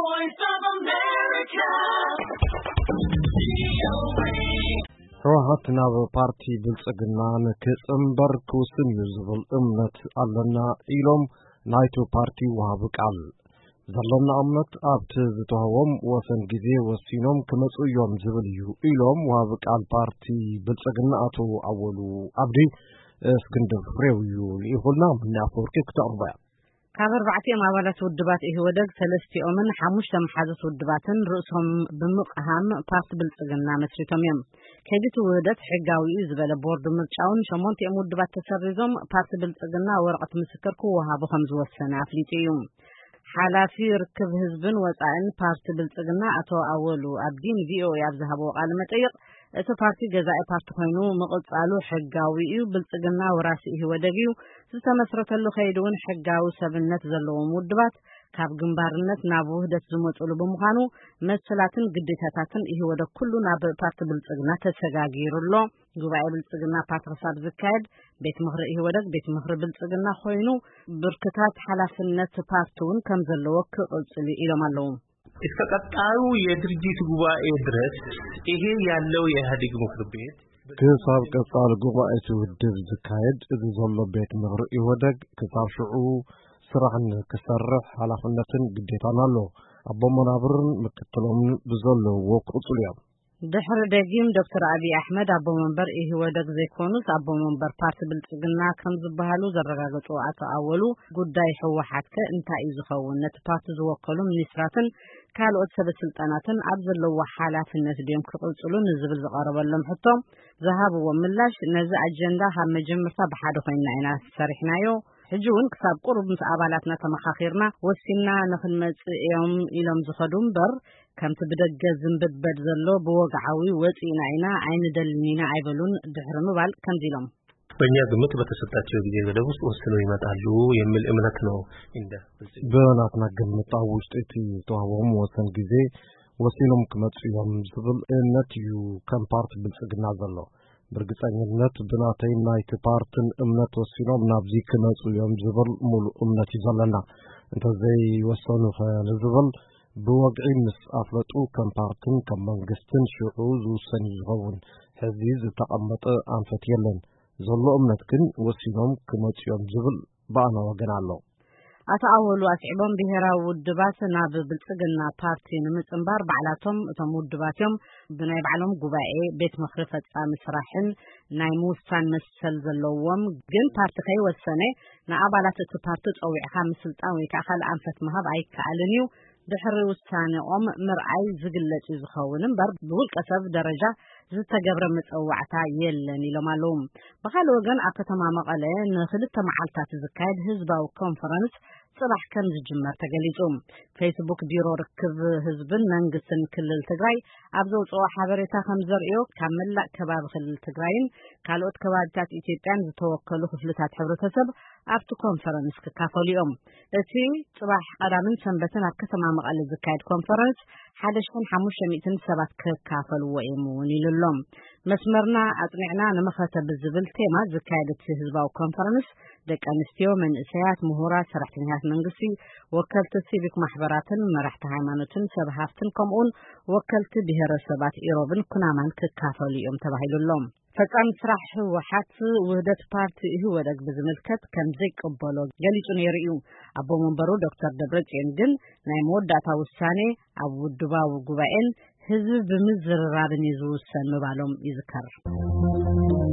Voice of America. ህወሓት ናብ ፓርቲ ብልጽግና ንክጽንበር ክውስን እዩ ዝብል እምነት ኣለና ኢሎም ናይቱ ፓርቲ ወሃቢ ቃል። ዘለና እምነት ኣብቲ ዝተዋህቦም ወሰን ግዜ ወሲኖም ክመጹ እዮም ዝብል እዩ ኢሎም ወሃቢ ቃል ፓርቲ ብልጽግና ኣቶ ኣወሉ ኣብዲ። እስክንድር ፍሬው እዩ ልኢኹልና። ምኒ ኣፈወርቂ ክተቕርቦ እያ። ካብ ኣርባዕቲኦም ኣባላት ውድባት ኢህወደግ ሰለስቲኦምን ሓሙሽተ መሓዙት ውድባትን ርእሶም ብምቕሃም ፓርቲ ብልጽግና መስሪቶም እዮም። ከይዲ እቲ ውህደት ሕጋዊ እዩ ዝበለ ቦርድ ምርጫውን ሸሞንቲኦም ውድባት ተሰሪዞም ፓርቲ ብልጽግና ወረቐት ምስክር ክወሃቡ ከም ዝወሰነ ኣፍሊጡ እዩ። ሓላፊ ርክብ ህዝብን ወጻእን ፓርቲ ብልጽግና ኣቶ ኣወሉ ኣብዲ ንቪኦኤ ኣብ ዝሃብዎ ቃለ መጠይቕ፣ እቲ ፓርቲ ገዛኢ ፓርቲ ኮይኑ ምቕጻሉ ሕጋዊ እዩ። ብልጽግና ወራሲ ኢህወደግ እዩ። ዝተመስረተሉ ከይዲ እውን ሕጋዊ ሰብነት ዘለዎም ውድባት ካብ ግንባርነት ናብ ውህደት ዝመጹሉ ብምዃኑ መሰላትን ግዴታታትን ኢህወደግ ኩሉ ናብ ፓርቲ ብልጽግና ተሰጋጊሩ ኣሎ። ጉባኤ ብልጽግና ፓርቲ ክሳብ ዝካየድ ቤት ምኽሪ ኢህወደግ ቤት ምኽሪ ብልጽግና ኮይኑ ብርክታት ሓላፍነት ፓርቲ እውን ከም ዘለዎ ክቕጽል እዩ ኢሎም ኣለዉ። እስከ ቀጣዩ የድርጅት ጉባኤ ድረስ ይሄ ያለው የኢህአዴግ ምክር ቤት ክሳብ ቀጻሊ ጉባኤ እቲ ውድብ ዝካየድ እዚ ዘሎ ቤት ምኽሪ ኢህወደግ ክሳብ ሽዑ ስራሕ ንክሰርሕ ሓላፍነትን ግዴታን ኣሎ። ኣቦ መናብርን ምክትሎምን ብዘለውዎ ክቕጽሉ እዮም። ድሕሪ ደጊም ዶክተር ኣብይ ኣሕመድ ኣቦ መንበር ኢህወደግ ዘይኮኑስ ኣቦ መንበር ፓርቲ ብልጽግና ከም ዝበሃሉ ዘረጋገጹ ኣቶ ኣወሉ፣ ጉዳይ ህወሓት ከ እንታይ እዩ ዝኸውን? ነቲ ፓርቲ ዝወከሉ ሚኒስትራትን ካልኦት ሰበ ስልጣናትን ኣብ ዘለዎ ሓላፍነት ድዮም ክቕጽሉ ንዝብል ዝቐረበሎም ሕቶ ዝሃብዎ ምላሽ፣ ነዚ ኣጀንዳ ካብ መጀመርታ ብሓደ ኮይንና ኢና ሰሪሕናዮ። ሕጂ እውን ክሳብ ቁሩብ ምስ ኣባላትና ተመኻኺርና ወሲንና ንኽንመጽእ እዮም ኢሎም ዝኸዱ እምበር፣ ከምቲ ብደገ ዝንብድበድ ዘሎ ብወግዓዊ ወጺእና ኢና ኣይንደልን ኢና ኣይበሉን ድሕሪ ምባል ከምዚ ኢሎም። በእኛ ግምት በተሰጣቸው ጊዜ ገደብ ውስጥ ወስነው ይመጣሉ የሚል እምነት ነው። እንደ ብናትና ግምት ኣብ ውሽጢ እቲ ተዋህቦም ወሰን ግዜ ወሲኖም ክመጹ እዮም ዝብል እምነት እዩ ከም ፓርቲ ብልጽግና ዘሎ። ብርግጸኝነት ብናተይ ናይቲ ፓርትን እምነት ወሲኖም ናብዚ ክመጹ እዮም ዝብል ሙሉእ እምነት እዩ ዘለና። እንተዘይወሰኑ ኸ ንዝብል ብወግዒ ምስ ኣፍለጡ ከም ፓርትን ከም መንግስትን ሽዑ ዝውሰን እዩ ዝኸውን። ሕዚ ዝተቐመጠ ኣንፈት የለን። ዘሎ እምነት ግን ወሲኖም ክመጹ እዮም ዝብል ብኣና ወገን ኣሎ። ኣቶ ኣወሉ ኣስዒቦም ብሄራዊ ውድባት ናብ ብልጽግና ፓርቲ ንምጽንባር ባዕላቶም እቶም ውድባት እዮም ብናይ ባዕሎም ጉባኤ ቤት ምኽሪ ፈጻሚ ስራሕን ናይ ምውሳን መሰል ዘለዎም፣ ግን ፓርቲ ከይወሰነ ንኣባላት እቲ ፓርቲ ጸዊዕካ ምስልጣን ወይ ከዓ ካልእ ኣንፈት ምሃብ ኣይከኣልን እዩ። ድሕሪ ውሳኔኦም ምርኣይ ዝግለጽ እዩ ዝኸውን እምበር ብውልቀ ሰብ ደረጃ ዝተገብረ መጸዋዕታ የለን ኢሎም ኣለዉ። ብኻልእ ወገን ኣብ ከተማ መቐለ ንክልተ መዓልታት ዝካየድ ህዝባዊ ኮንፈረንስ ጽባሕ ከም ዝጅመር ተገሊጹ። ፌስቡክ ቢሮ ርክብ ህዝብን መንግስትን ክልል ትግራይ ኣብ ዘውፅኦ ሓበሬታ ከም ዘርእዮ ካብ መላእ ከባቢ ክልል ትግራይን ካልኦት ከባቢታት ኢትዮጵያን ዝተወከሉ ክፍልታት ሕብረተሰብ ኣብቲ ኮንፈረንስ ክካፈሉ እዮም። እቲ ጽባሕ ቀዳምን ሰንበትን ኣብ ከተማ መቐለ ዝካየድ ኮንፈረንስ ሓደ ሽሕን ሓሙሽተ ሚእትን ሰባት ክካፈልዎ እዮም እውን ኢሉ ኣሎ። መስመርና ኣጽኒዕና ንመኸተ ብዝብል ቴማ ዝካየድ እቲ ህዝባዊ ኮንፈረንስ ደቂ ኣንስትዮ፣ መንእሰያት፣ ምሁራት፣ ሰራሕተኛታት መንግስቲ፣ ወከልቲ ሲቪክ ማሕበራትን መራሕቲ ሃይማኖትን ሰብ ሃፍትን ከምኡውን ወከልቲ ብሄረሰባት ኢሮብን ኩናማን ክካፈሉ እዮም ተባሂሉ ኣሎ። ፈጻሚ ስራሕ ህወሓት ውህደት ፓርቲ ኢህወደግ ብዝምልከት ከም ዘይቀበሎ ገሊጹ ነይሩ እዩ። ኣቦ መንበሩ ዶክተር ደብረጽዮን ግን ናይ መወዳእታ ውሳኔ ኣብ ውድባዊ ጉባኤን ህዝቢ ብምዝርራብን እዩ ዝውሰን ምባሎም ይዝከር።